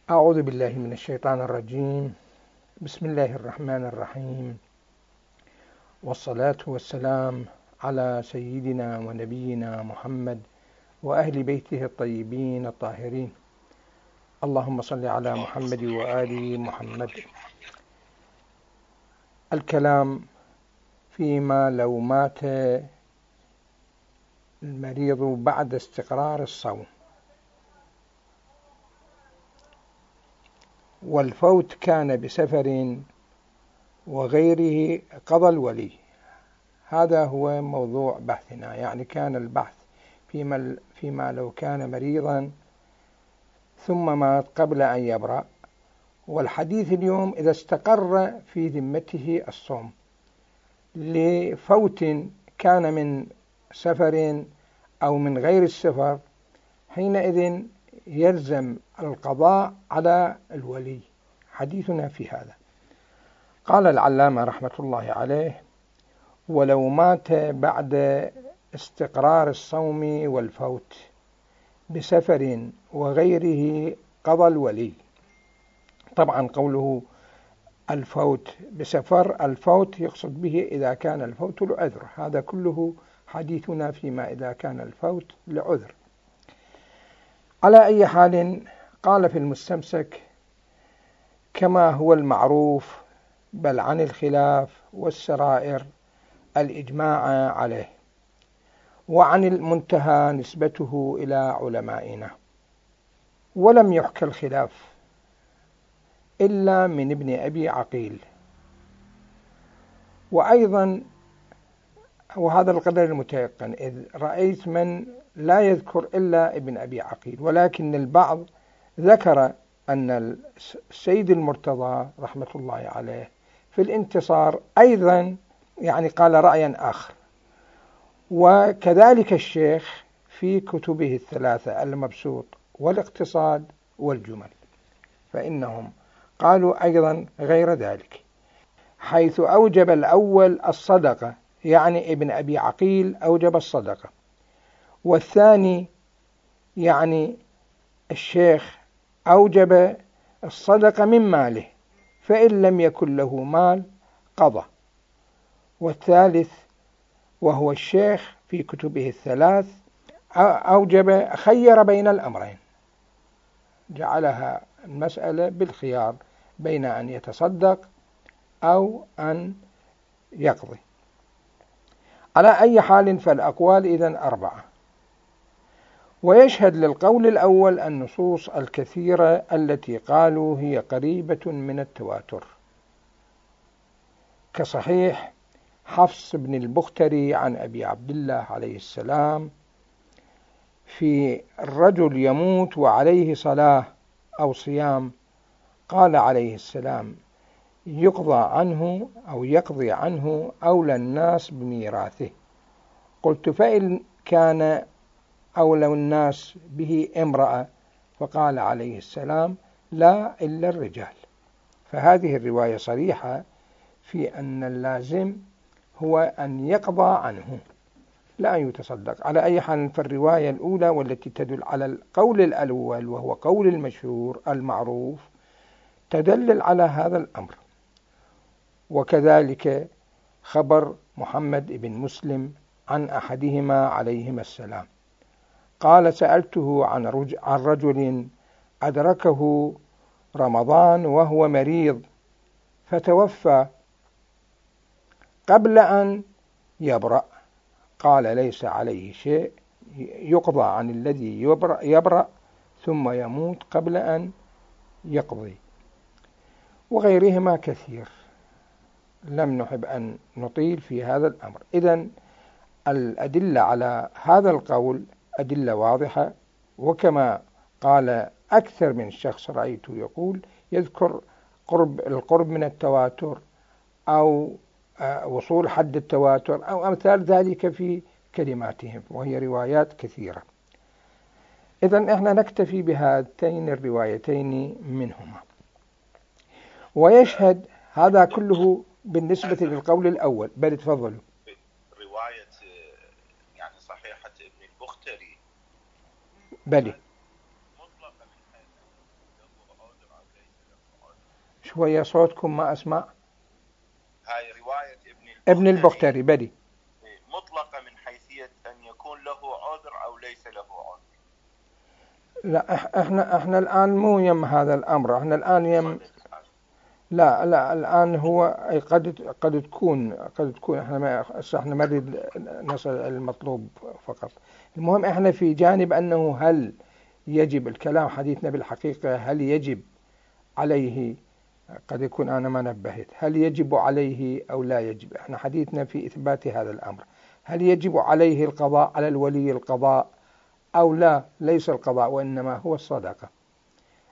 أعوذ بالله من الشيطان الرجيم. بسم الله الرحمن الرحيم، والصلاة والسلام على سيدنا ونبينا محمد وأهل بيته الطيبين الطاهرين. اللهم صل على محمد وآل محمد. الكلام فيما لو مات المريض بعد استقرار الصوم، والفوت كان بسفر وغيره قضى الولي. هذا هو موضوع بحثنا، يعني كان البحث فيما لو كان مريضا ثم مات قبل أن يبرأ، والحديث اليوم إذا استقر في ذمته الصوم لفوت كان من سفر أو من غير السفر، حينئذ يلزم القضاء على الولي. حديثنا في هذا. قال العلامة رحمة الله عليه: ولو مات بعد استقرار الصوم والفوت بسفر وغيره قضى الولي. طبعا قوله الفوت بسفر، الفوت يقصد به إذا كان الفوت لعذر، هذا كله حديثنا فيما إذا كان الفوت لعذر. على أي حال، قال في المستمسك: كما هو المعروف بل عن الخلاف والسرائر الإجماع عليه، وعن المنتهى نسبته إلى علمائنا، ولم يحكى الخلاف إلا من ابن أبي عقيل. وأيضا وهذا القدر المتيقن، إذ رأيت من لا يذكر إلا ابن أبي عقيل، ولكن البعض ذكر أن السيد المرتضى رحمة الله عليه في الانتصار أيضا يعني قال رأيا آخر، وكذلك الشيخ في كتبه الثلاثة المبسوط والاقتصاد والجمل، فإنهم قالوا أيضا غير ذلك، حيث أوجب الأول الصدقة، يعني ابن أبي عقيل أوجب الصدقة، والثاني يعني الشيخ أوجب الصدقة من ماله، فإن لم يكن له مال قضى. والثالث وهو الشيخ في كتبه الثلاث أوجب خير بين الأمرين، جعلها المسألة بالخيار بين أن يتصدق أو أن يقضي. على أي حال، فالأقوال إذن أربعة. ويشهد للقول الأول النصوص الكثيرة التي قالوا هي قريبة من التواتر، كصحيح حفص بن البختري عن أبي عبد الله عليه السلام في الرجل يموت وعليه صلاة أو صيام، قال عليه السلام: يقضى عنه أو يقضي عنه أولى الناس بميراثه. قلت: فإن كان أولى الناس به امرأة؟ فقال عليه السلام: لا إلا الرجال. فهذه الرواية صريحة في أن اللازم هو أن يقضى عنه لا أن يتصدق. على أي حال، فالرواية الأولى والتي تدل على القول الأول وهو قول المشهور المعروف تدلل على هذا الأمر. وكذلك خبر محمد بن مسلم عن أحدهما عليهما السلام، قال: سألته عن رجل أدركه رمضان وهو مريض فتوفى قبل أن يبرأ، قال: ليس عليه شيء، يقضى عن الذي يبرأ ثم يموت قبل أن يقضي. وغيرهما كثير، لم نحب أن نطيل في هذا الأمر. إذن الأدلة على هذا القول أدلة واضحة، وكما قال أكثر من شخص رأيته يقول يذكر القرب من التواتر أو وصول حد التواتر أو أمثال ذلك في كلماتهم، وهي روايات كثيرة. إذن إحنا نكتفي بهاتين الروايتين منهما. ويشهد هذا كله بالنسبة للقول الأول. بل تفضلوا. رواية يعني صحيحة ابن البختري بلي مطلقة من حيث شوية صوتكم ما أسمع. هاي رواية ابن البختري بدي مطلقة من حيثية أن يكون له عذر أو ليس له عذر. لا احنا الآن مو يم هذا الأمر، احنا الآن يم لا الآن هو قد تكون احنا ما نريد نصل المطلوب فقط. المهم احنا في جانب أنه هل يجب الكلام، حديثنا بالحقيقة هل يجب عليه، قد يكون أنا ما نبهت، هل يجب عليه أو لا يجب. احنا حديثنا في إثبات هذا الأمر، هل يجب عليه القضاء، على الولي القضاء أو لا، ليس القضاء وإنما هو الصدقة.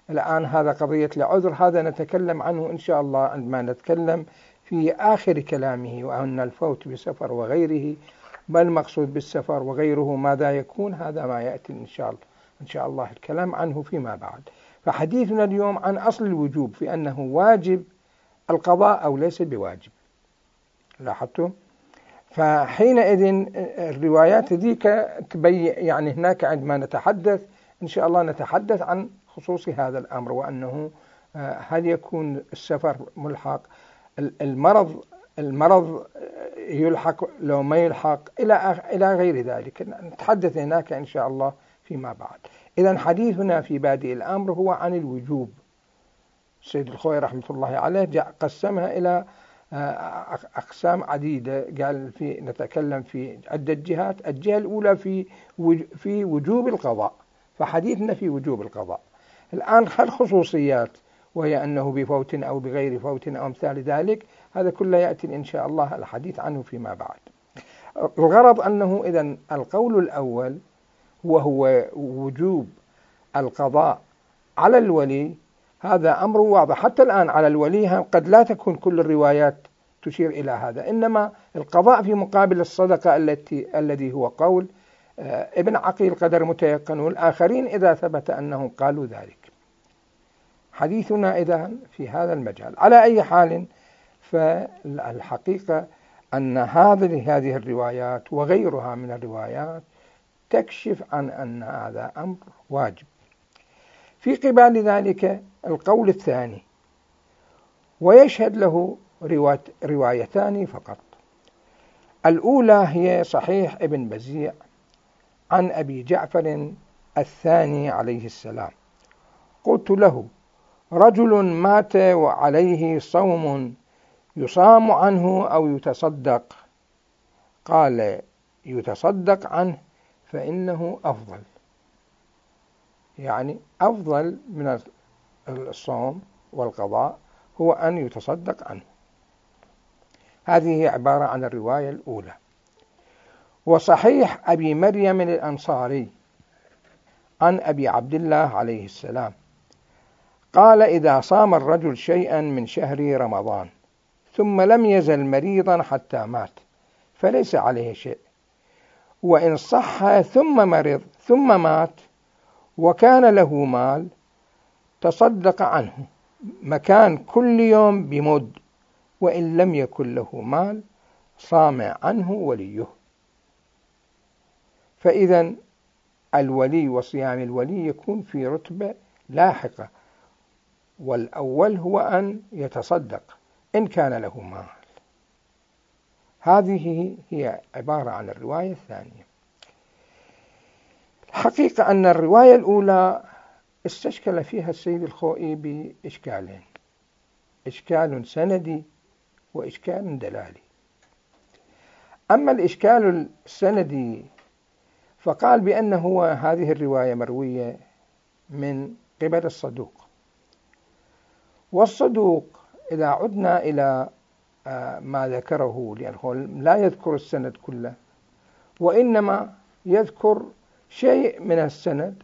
الآن هذا قضية العذر، هذا نتكلم عنه إن شاء الله عندما نتكلم في آخر كلامه، وأن الفوت بسفر وغيره، ما المقصود بالسفر وغيره ماذا يكون، هذا ما يأتي إن شاء الله الكلام عنه فيما بعد. فحديثنا اليوم عن أصل الوجوب، في أنه واجب القضاء أو ليس بواجب. لاحظتم؟ فحينئذ الروايات ذيك تبين، يعني هناك عندما نتحدث إن شاء الله نتحدث عن خصوص هذا الأمر، وأنه هل يكون السفر ملحق، المرض يلحق لو ما يلحق، إلى غير ذلك نتحدث هناك إن شاء الله فيما بعد. إذن حديثنا في بادئ الأمر هو عن الوجوب. السيد الخوئي رحمة الله عليه قسمها إلى أقسام عديدة، قال نتكلم في عدة جهات. الجهة الأولى في وجوب القضاء، فحديثنا في وجوب القضاء. الآن الخصوصيات، وهي أنه بفوت أو بغير فوت أو أمثال ذلك، هذا كله يأتي إن شاء الله الحديث عنه فيما بعد. الغرض أنه إذن القول الأول وهو وجوب القضاء على الولي، هذا أمر واضح. حتى الآن على الولي قد لا تكون كل الروايات تشير إلى هذا، إنما القضاء في مقابل الصدقة الذي هو قول ابن عقيل قدر متيقن، والآخرين إذا ثبت أنهم قالوا ذلك. حديثنا إذن في هذا المجال. على أي حال، فالحقيقة أن هذه الروايات وغيرها من الروايات تكشف عن أن هذا أمر واجب. في قبال ذلك القول الثاني، ويشهد له روايتان فقط. الأولى هي صحيح ابن بزيع عن أبي جعفر الثاني عليه السلام: قلت له: رجل مات وعليه صوم يصام عنه أو يتصدق؟ قال: يتصدق عنه فإنه أفضل. يعني أفضل من الصوم والقضاء هو أن يتصدق عنه. هذه هي عبارة عن الرواية الأولى. وصحيح أبي مريم الأنصاري عن أبي عبد الله عليه السلام قال: إذا صام الرجل شيئا من شهر رمضان ثم لم يزل مريضا حتى مات فليس عليه شيء، وإن صح ثم مرض ثم مات وكان له مال تصدق عنه مكان كل يوم بمد، وإن لم يكن له مال صام عنه وليه. فإذا الولي وصيام الولي يكون في رتبة لاحقة، والأول هو أن يتصدق إن كان له مال. هذه هي عبارة عن الرواية الثانية. الحقيقة أن الرواية الأولى استشكل فيها السيد الخوئي بإشكالين: إشكال سندي وإشكال دلالي. أما الإشكال السندي فقال بأنه هذه الرواية مروية من قبل الصدوق، والصدوق إذا عدنا إلى ما ذكره، لأنه لا يذكر السند كله وإنما يذكر شيء من السند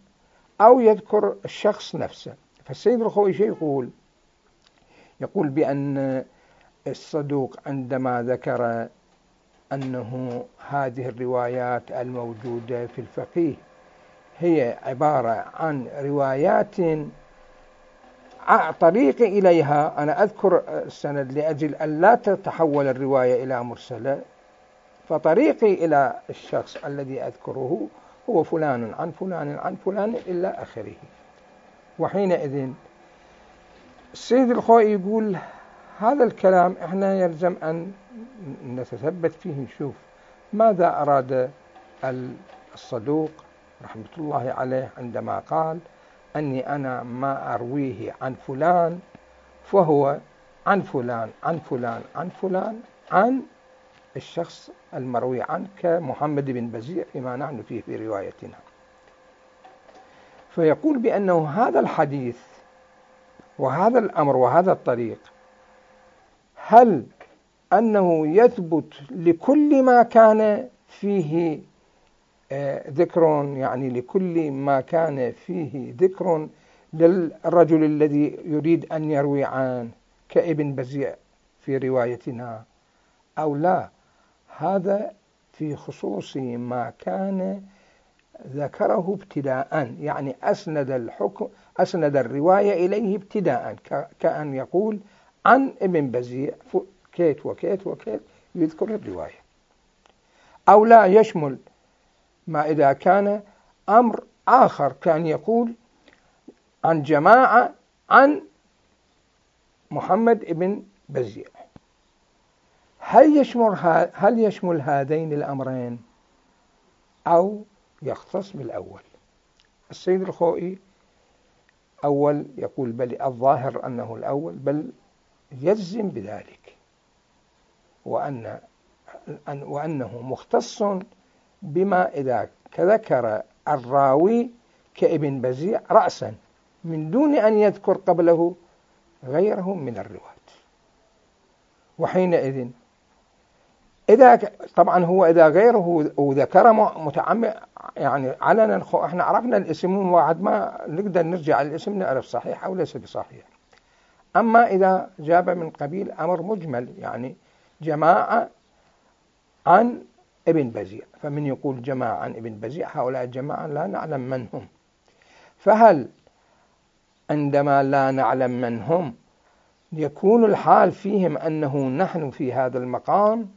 أو يذكر الشخص نفسه. فالسيد الخوئي يقول بأن الصدوق عندما ذكر أنه هذه الروايات الموجودة في الفقيه هي عبارة عن روايات طريقي إليها، أنا أذكر السند لأجل أن لا تتحول الرواية إلى مرسلة، فطريقي إلى الشخص الذي أذكره هو فلان عن فلان عن فلان إلى آخره. وحينئذ السيد الخوئي يقول هذا الكلام احنا يلزم أن نتثبت فيه، نشوف ماذا أراد الصدوق رحمة الله عليه عندما قال أني أنا ما أرويه عن فلان فهو عن فلان عن فلان عن فلان عن الشخص المروي عنه كمحمد بن بزيع فيما نحن فيه في روايتنا. فيقول بأنه هذا الحديث وهذا الأمر وهذا الطريق هل أنه يثبت لكل ما كان فيه ذكر، يعني لكل ما كان فيه ذكر للرجل الذي يريد أن يروي عنه كابن بزيع في روايتنا، أو لا؟ هذا في خصوص ما كان ذكره ابتداء، يعني أسند الرواية إليه ابتداء، كأن يقول عن ابن بزيع كيت وكيت وكيت يذكر الرواية. أو لا يشمل ما إذا كان أمر آخر، كان يقول عن جماعة عن محمد بن بزيع. هل يشمل هذين الأمرين أو يختص بالأول؟ السيد الخوئي أول يقول بل الظاهر أنه الأول، بل يجزم بذلك، وأنه مختص بما إذا ذكر الراوي كابن بزيع رأسا من دون أن يذكر قبله غيره من الرواة. وحينئذ طبعا هو إذا غيره وذكر متعمد يعني علنا، احنا عرفنا الاسم واحد ما نقدر نرجع الاسم نعرف صحيح أو ليس بصحيح. أما إذا جاب من قبيل أمر مجمل، يعني جماعة عن ابن بزيع، فمن يقول جماعة عن ابن بزيع هؤلاء الجماعة لا نعلم من هم. فهل عندما لا نعلم من هم يكون الحال فيهم أنه نحن في هذا المقام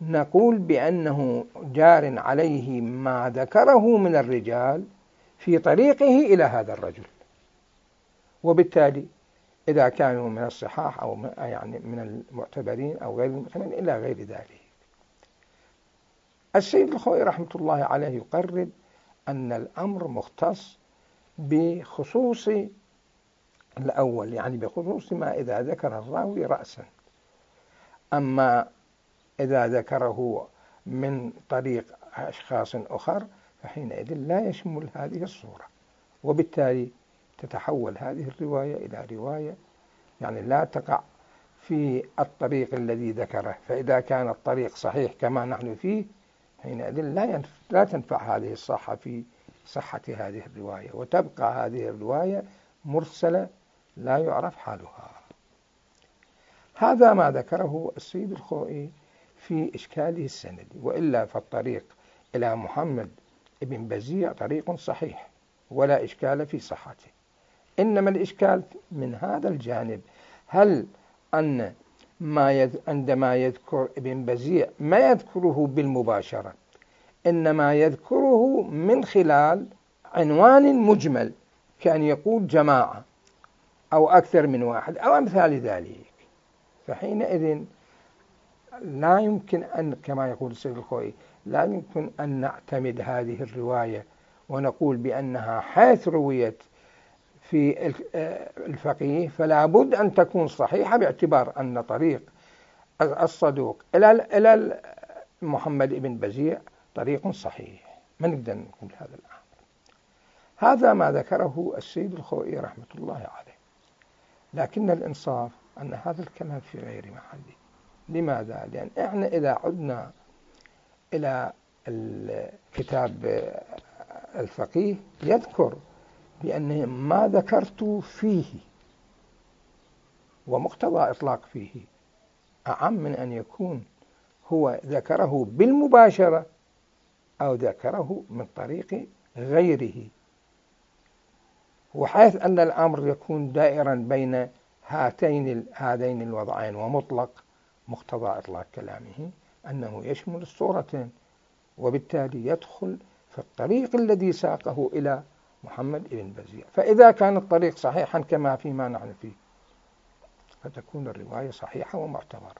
نقول بأنه جار عليه ما ذكره من الرجال في طريقه إلى هذا الرجل، وبالتالي إذا كانوا من الصحاح أو يعني من المعتبرين أو غير المعتبرين إلى غير ذلك. السيد الخوئي رحمة الله عليه يقرر أن الأمر مختص بخصوص الأول، يعني بخصوص ما إذا ذكر الراوي رأسا. أما إذا ذكره من طريق أشخاص أخر فحينئذ لا يشمل هذه الصورة، وبالتالي تتحول هذه الرواية إلى رواية يعني لا تقع في الطريق الذي ذكره. فإذا كان الطريق صحيح كما نحن فيه حينئذ لا تنفع هذه الصحة في صحة هذه الرواية، وتبقى هذه الرواية مرسلة لا يعرف حالها. هذا ما ذكره السيد الخوئي في إشكاله السندي، وإلا فالطريق إلى محمد بن بزيع طريق صحيح ولا إشكال في صحته. إنما الإشكال من هذا الجانب، هل أن عندما يذكر ابن بزيع ما يذكره بالمباشرة، إنما يذكره من خلال عنوان مجمل، كان يقول جماعة أو أكثر من واحد أو أمثال ذلك، فحينئذ لا يمكن أن كما يقول السيد الخوئي لا يمكن أن نعتمد هذه الرواية ونقول بأنها حيث رويت في الفقيه فلا بد أن تكون صحيحة، باعتبار أن طريق الصدوق إلى محمد بن بزيع طريق صحيح. ما نقدر نقول هذا الأمر. هذا ما ذكره السيد الخوئي رحمة الله عليه، لكن الإنصاف أن هذا الكلام في غير محله. لماذا؟ لأن إحنا إذا عدنا إلى الكتاب الفقيه يذكر بأن ما ذكرت فيه ومقتضى إطلاق فيه أعم من أن يكون هو ذكره بالمباشرة أو ذكره من طريق غيره، وحيث أن الأمر يكون دائرا بين هذين الوضعين ومطلق، مقتضى إطلاق كلامه أنه يشمل الصورتين، وبالتالي يدخل في الطريق الذي ساقه إلى محمد بن بزيع. فإذا كان الطريق صحيحا كما فيما نحن فيه فتكون الرواية صحيحة ومعتبرة.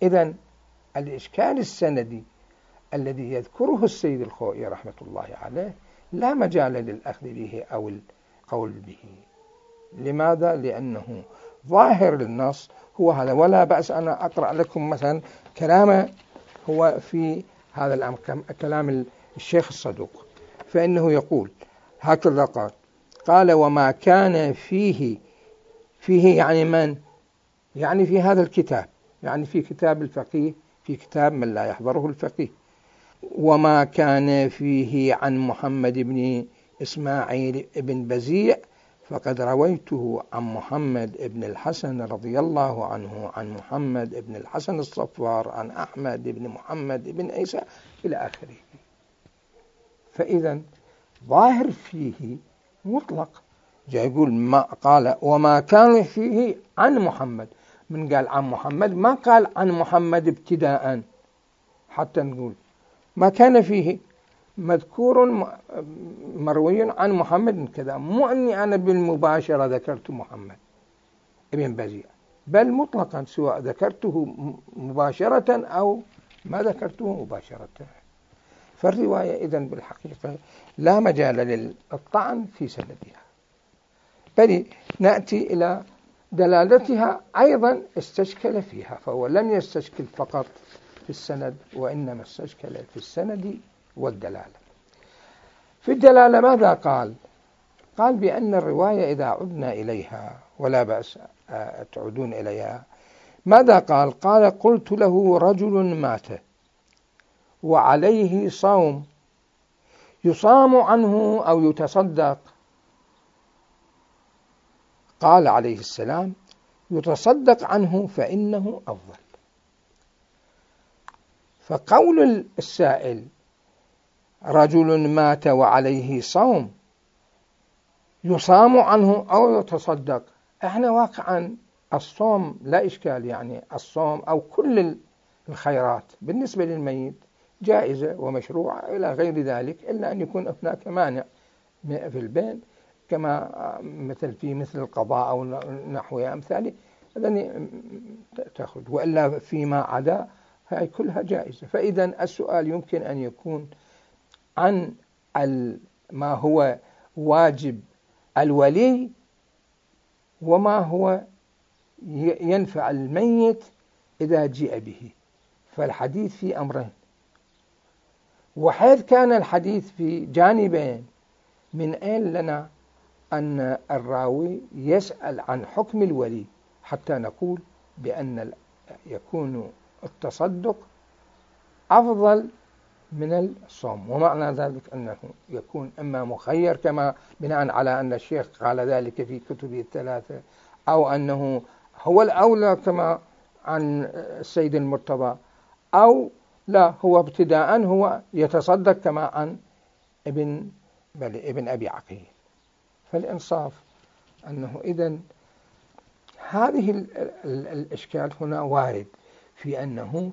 إذن الإشكال السندي الذي يذكره السيد الخوئي رحمة الله عليه لا مجال للأخذ به أو القول به. لماذا؟ لأنه ظاهر النص هو هذا. ولا بأس أنا أقرأ لكم مثلا كلامه هو في هذا الأمر، كلام الشيخ الصدوق، فإنه يقول هكذا قال وما كان فيه يعني من؟ يعني في هذا الكتاب، يعني في كتاب الفقيه، في كتاب من لا يحضره الفقيه. وما كان فيه عن محمد بن إسماعيل بن بزيع فقد رويته عن محمد بن الحسن رضي الله عنه عن محمد بن الحسن الصفار عن أحمد بن محمد بن عيسى إلى آخره. فإذا ظاهر فيه مطلق، جاء يقول ما قال وما كان فيه عن محمد، من قال عن محمد ما قال عن محمد ابتداء، حتى نقول ما كان فيه مذكور مروي عن محمد كذا، مو أني أنا بالمباشرة ذكرت محمد ابن بزيع، بل مطلقا سواء ذكرته مباشرة أو ما ذكرته مباشرة. فالرواية إذن بالحقيقة لا مجال للطعن في سندها، بل نأتي إلى دلالتها أيضا استشكل فيها، فهو لم يستشكل فقط في السند وإنما استشكل في السند والدلالة. في الدلالة ماذا قال؟ قال بأن الرواية إذا عدنا إليها ولا بأس تعودون إليها. ماذا قال؟ قال قلت له رجل مات وعليه صوم يصام عنه أو يتصدق. قال عليه السلام يتصدق عنه فإنه أفضل. فقول السائل رجل مات وعليه صوم يصام عنه أو يتصدق، احنا واقعا الصوم لا إشكال، يعني الصوم أو كل الخيرات بالنسبة للميت جائزة ومشروعة إلى غير ذلك، إلا أن يكون هناك مانع في البين كما مثل القضاء أو نحوها أمثاله، هذا تأخذ، وإلا فيما عدا هاي كلها جائزة. فإذا السؤال يمكن أن يكون عن ما هو واجب الولي وما هو ينفع الميت إذا جاء به. فالحديث في أمرين، وحيث كان الحديث في جانبين، من أين لنا أن الراوي يسأل عن حكم الولي حتى نقول بأن يكون التصدق أفضل من الصوم؟ ومعنى ذلك أنه يكون إما مخير كما بناء على أن الشيخ قال ذلك في كتبه الثلاثة، أو أنه هو الأولى كما عن السيد المرتضى، أو لا هو ابتداء هو يتصدق كما عن ابن أبي عقيل. فالإنصاف أنه إذن هذه الإشكال هنا وارد في أنه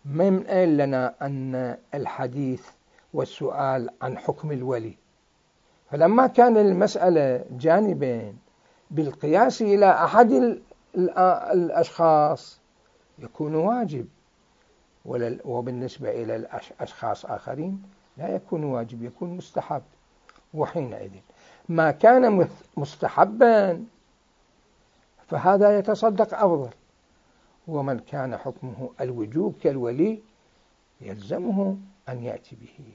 من أين لنا أن الحديث والسؤال عن حكم الولي. فلما كان المسألة جانبين بالقياس إلى أحد الأشخاص يكون واجب، وبالنسبة إلى الأشخاص آخرين لا يكون واجب، يكون مستحب. وحينئذ ما كان مستحبا فهذا يتصدق أفضل، ومن كان حكمه الوجوب كالولي يلزمه أن يأتي به.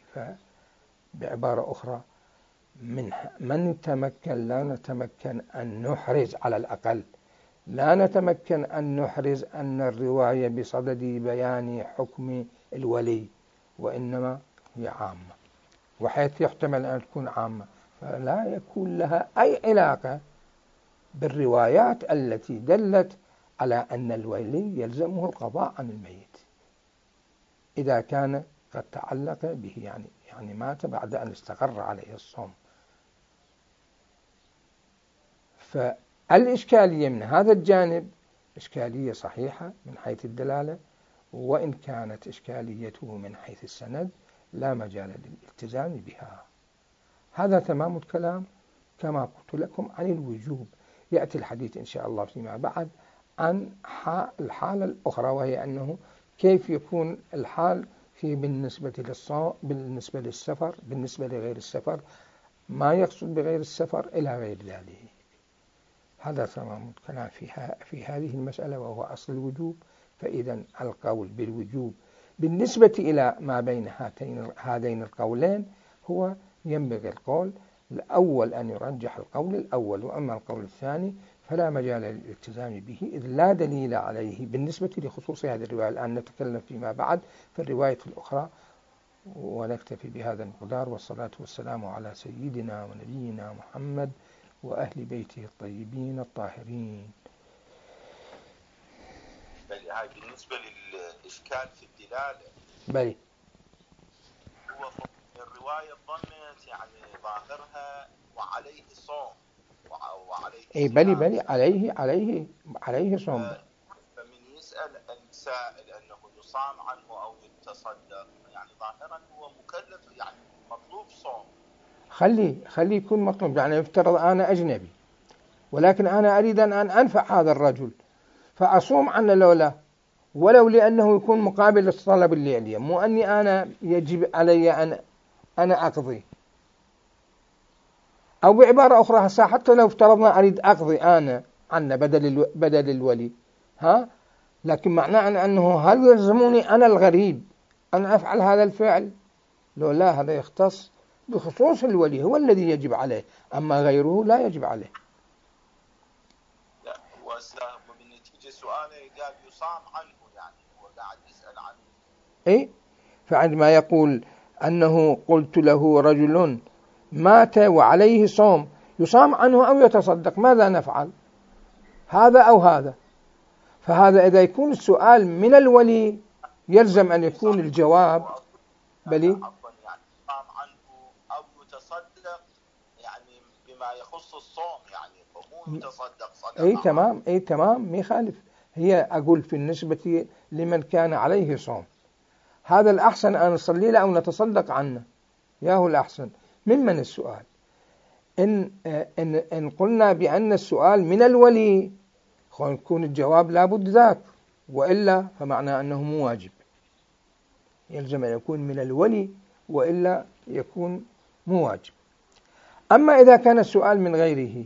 فبعبارة أخرى من تمكن، لا نتمكن أن نحرز، على الأقل لا نتمكن أن نحرز أن الرواية بصدد بيان حكم الولي، وإنما هي عامة، وحيث يحتمل أن تكون عامة فلا يكون لها أي علاقة بالروايات التي دلت على أن الولي يلزمه القضاء عن الميت إذا كان قد تعلق به، يعني مات بعد أن استقر عليه الصوم. فالإشكالية من هذا الجانب إشكالية صحيحة من حيث الدلالة، وإن كانت إشكاليته من حيث السند لا مجال للالتزام بها. هذا تمام الكلام كما قلت لكم عن الوجوب. يأتي الحديث إن شاء الله فيما بعد عن الحالة الأخرى، وهي أنه كيف يكون الحال بالنسبة بالنسبة للسفر، بالنسبة لغير السفر، ما يقصد بغير السفر إلى غير ذلك. هذا تمام الكلام في هذه المسألة، وهو أصل الوجوب. فإذا القول بالوجوب بالنسبة إلى ما بين هذين القولين هو ينبغي القول الأول أن يرجح القول الأول، وأما القول الثاني فلا مجال للالتزام به، إذ لا دليل عليه بالنسبة لخصوص هذه الرواية. الآن نتكلم فيما بعد في الرواية الأخرى، ونكتفي بهذا المقدار، والصلاة والسلام على سيدنا ونبينا محمد وأهل بيته الطيبين الطاهرين. بل هاي بالنسبة للإشكال في الدلالة، بل هو الرواية ضمت يعني ظاهرها وعليه صوم وعليه بلي عليه صوم. فمن يسأل السائل أنه يصام عنه أو يتصدق، يعني ظاهرا هو مكلف، يعني مطلوب صوم. خلي يكون مطلوب. يعني يفترض أنا أجنبي، ولكن أنا أريد أن أنفع هذا الرجل، فأصوم عنه لولا، ولو لأنه يكون مقابل الطلب اللي عليه، مو أني أنا يجب علي أن أنا أقضي. أو بعبارة أخرى، حتى لو افترضنا أريد أقضي أنا عنه بدل الولي، لكن معناه أنه هل يلزمني أنا الغريب أن أفعل هذا الفعل؟ لو لا، هذا يختص بخصوص الولي، هو الذي يجب عليه، أما غيره لا يجب عليه. لا، وبالنتيجة سؤاله قال يصام عنه، يعني هو قاعد يسأل عنه. فعندما يقول أنه قلت له رجل مات وعليه صوم، يصام عنه أو يتصدق، ماذا نفعل؟ هذا أو هذا؟ فهذا إذا يكون السؤال من الولي يلزم أن يكون الجواب بلي يعني يصام عنه أو يتصدق، يعني بما يخص الصوم، يعني مو يتصدق صدقة. تمام ما يخالف. هي أقول في النسبة لمن كان عليه صوم، هذا الأحسن أن نصلي له أو نتصدق عنه، ياهو الأحسن. ممن السؤال؟ إن قلنا بأن السؤال من الولي، يكون الجواب لابد ذاك، وإلا فمعنى أنه مو واجب، يلزم أن يكون من الولي، وإلا يكون مو واجب. أما إذا كان السؤال من غيره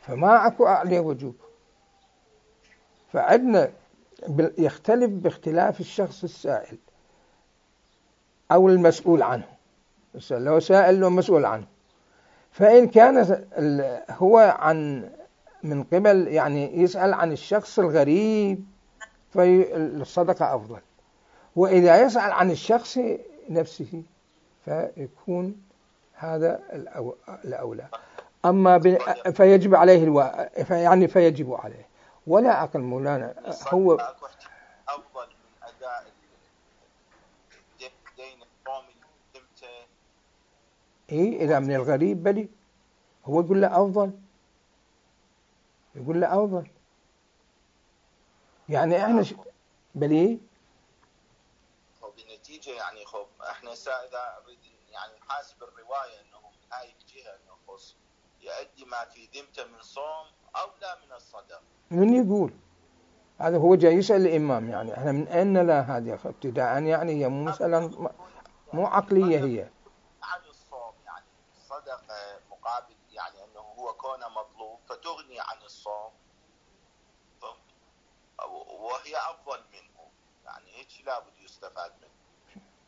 فما أكو عليه وجوب. فعندنا يختلف باختلاف الشخص السائل أو المسؤول عنه. لو سائل له مسؤول عنه، فإن كان هو من قبل يعني يسأل عن الشخص الغريب فالصدقة أفضل، وإذا يسأل عن الشخص نفسه فيكون هذا الأولى. أما فيجب عليه فيجب عليه، ولا أقل مولانا هو أفضل من أداء دين الصوم إذا من الغريب بلي، هو يقول له أفضل، يعني إحنا بلي وبالنتيجة يعني إحنا إذا يعني نحاسب الرواية أنه من هاي الجهة أنه خص يؤدي ما في ذمته من صوم أو لا من الصدق. من يقول هذا؟ هو جاي يسأل الإمام، يعني إحنا من أين لا هذه ابتداء، يعني هي مو مسألة مو عقلية، هي عن الصوم، يعني الصدقة مقابل، يعني أنه هو كونه مطلوب فتغني عن الصوم، وهي أفضل منه، يعني هيك لابد يستفاد منه.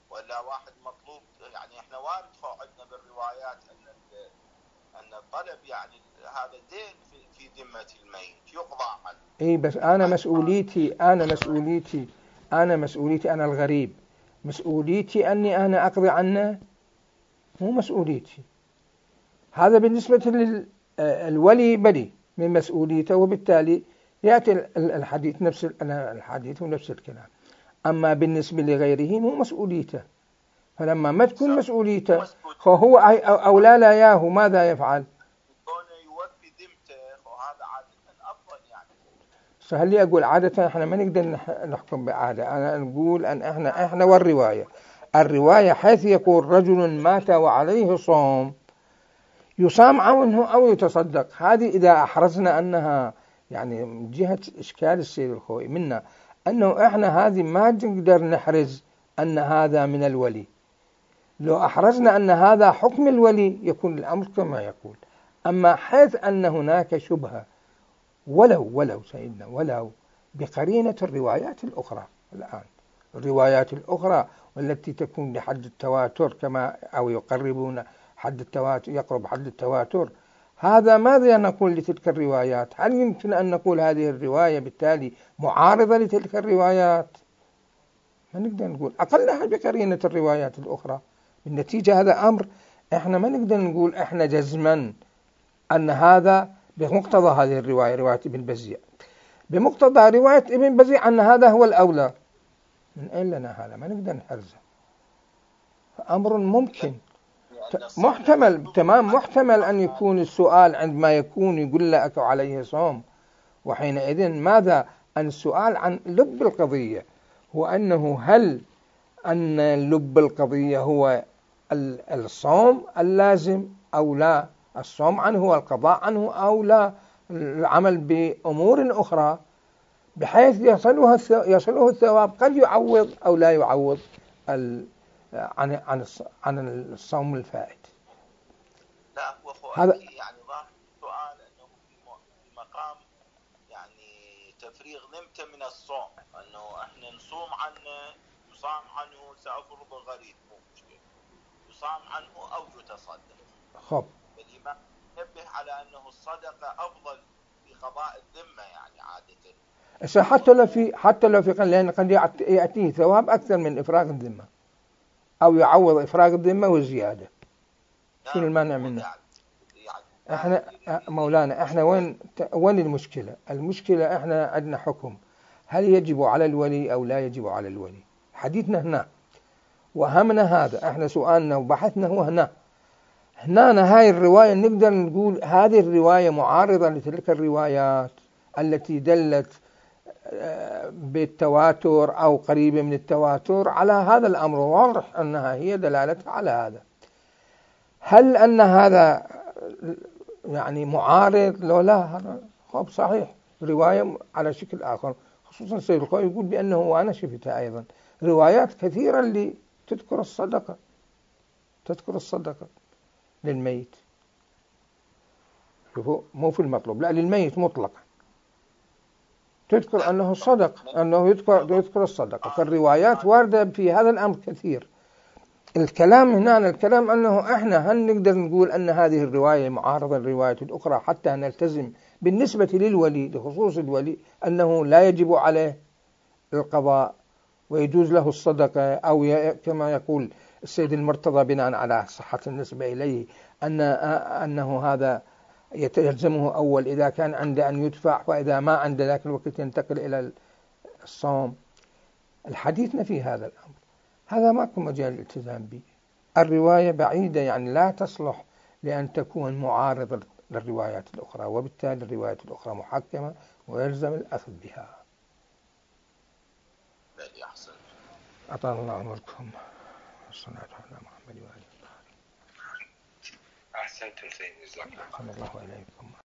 ولا واحد مطلوب، يعني إحنا وارد عندنا بالروايات أن الطلب يعني هذا دين في ذمة الميت يقضى عنه. بس أنا مسؤوليتي أنا الغريب، مسؤوليتي أني أنا أقضي عنه، مو مسؤوليتي. هذا بالنسبة للولي بدي من مسؤوليته، وبالتالي يأتي الحديث ونفس الكلام. أما بالنسبة لغيره مو مسؤوليته، فلما ما تكون مسؤوليته فهو أولى لا ياهو ماذا يفعل؟ يوفي ذمته، وهذا عادة أفضل. يعني سهل لي أقول عادة، إحنا ما نقدر نحكم بعادة. أنا نقول أن إحنا والرواية حيث يقول رجل مات وعليه صوم، يصام عنه أو يتصدق. هذه إذا أحرزنا أنها يعني من جهة إشكال السيد الخوئي منا أنه إحنا هذه ما نقدر نحرز أن هذا من الولي. لو أحرزنا أن هذا حكم الولي يكون الأمر كما يقول. أما حيث أن هناك شبهة ولو سيدنا ولو بقرينة الروايات الأخرى الآن، الروايات الأخرى والتي تكون لحد التواتر كما أو يقربون حد التواتر، يقرب حد التواتر، هذا ماذا نقول لتلك الروايات؟ هل يمكن أن نقول هذه الرواية بالتالي معارضة لتلك الروايات؟ ما نقدر نقول أقلها بقرينة الروايات الأخرى. بالنتيجة هذا أمر إحنا ما نقدر نقول إحنا جزما أن هذا بمقتضى هذه الرواية، رواية ابن بزيع، بمقتضى رواية ابن بزيع أن هذا هو الأولى. من أين لنا هذا؟ ما نقدر نحرزه. أمر ممكن محتمل، تمام، محتمل أن يكون السؤال عندما يكون يقول لك عليه صوم، وحينئذ ماذا؟ أن السؤال عن لب القضية هو أنه هل أن لب القضية هو الصوم اللازم أو لا، الصوم عنه هو القضاء عنه أو لا، العمل بأمور أخرى بحيث يصله الثواب، قد يعوض أو لا يعوض عن الصوم الفائت. لا هو هذا يعني ظاهر السؤال أنه في مقام يعني تفريغ نمته من الصوم، أنه إحنا نصوم عنه، يصام عنه، سأفرض غريب مو مشكلة، يصام عنه أو يتصدق. خب فالإمام ينبه على أنه الصدقة أفضل في قضاء الذمة يعني عادة. حتى لو في لأن قد يأتيه ثواب أكثر من إفراغ الذمة، أو يعوض إفراغ الذمة وزيادة. شنو المانع منه؟ احنا مولانا احنا وين المشكلة؟ المشكلة احنا عندنا حكم، هل يجب على الولي أو لا يجب على الولي؟ حديثنا هنا وهمنا هذا، احنا سؤالنا وبحثنا هو هنا هاي الرواية نقدر نقول هذه الرواية معارضة لتلك الروايات التي دلت بالتواتر أو قريبة من التواتر على هذا الأمر، واضح أنها هي دلالتها على هذا. هل أن هذا يعني معارض؟ لو لا، هذا خب صحيح رواية على شكل آخر، خصوصا السيد الخوئي يقول بأنه وأنا شفتها أيضا روايات كثيرة اللي تذكر الصدقة للميت، شوفوا مو في المطلوب، لا للميت مطلقا تذكر أنه صدق، أنه يذكر الصدقة. فالروايات واردة في هذا الأمر كثير. الكلام هنا الكلام أنه إحنا هل نقدر نقول أن هذه الرواية معارضة للرواية الأخرى حتى نلتزم بالنسبة للولي، لخصوص الولي، أنه لا يجب عليه القضاء ويجوز له الصدقة، أو كما يقول السيد المرتضى بناء على صحة النسبة إليه أنه هذا يتلزمه أول إذا كان عنده أن يدفع، وإذا ما عنده ذاك الوقت ينتقل إلى الصوم. الحديثنا في هذا الأمر هذا ماكو مجال الالتزام به. الرواية بعيدة يعني لا تصلح لأن تكون معارضة للروايات الأخرى، وبالتالي الروايات الأخرى محكمة ويلزم الأخذ بها. أطال الله عمركم. الصلاة على محمد وآله. أحسنتم سيدي، جزاكم الله. الله إليكم.